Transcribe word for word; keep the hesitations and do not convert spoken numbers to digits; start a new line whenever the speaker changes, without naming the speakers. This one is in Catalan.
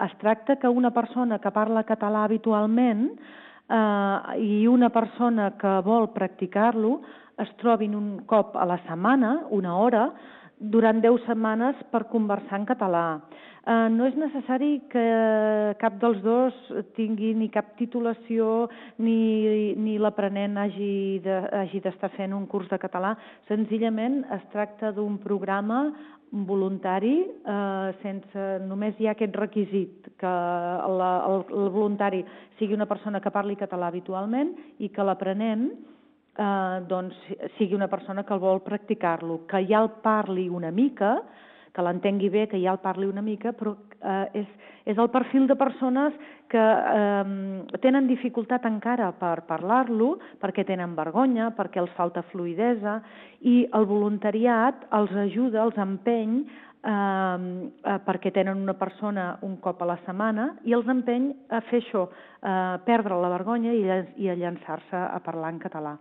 Es tracta que una persona que parla català habitualment eh, i una persona que vol practicar-lo es trobin un cop a la setmana, una hora, durant deu setmanes per conversar en català. Eh, no és necessari que cap dels dos tingui ni cap titulació ni, ni l'aprenent hagi de, hagi d'estar fent un curs de català. Senzillament es tracta d'un programa voluntari, eh, sense, només hi ha aquest requisit, que la, el, el voluntari sigui una persona que parli català habitualment i que l'aprenent eh, doncs, sigui una persona que el vol practicar-lo, que ja el parli una mica, que l'entengui bé, que ja el parli una mica, però eh, és, és el perfil de persones que eh, tenen dificultat encara per parlar-lo, perquè tenen vergonya, perquè els falta fluïdesa, i el voluntariat els ajuda, els empeny, eh, eh, perquè tenen una persona un cop a la setmana, i els empeny a fer això, eh, perdre la vergonya i, i a llançar-se a parlar en català.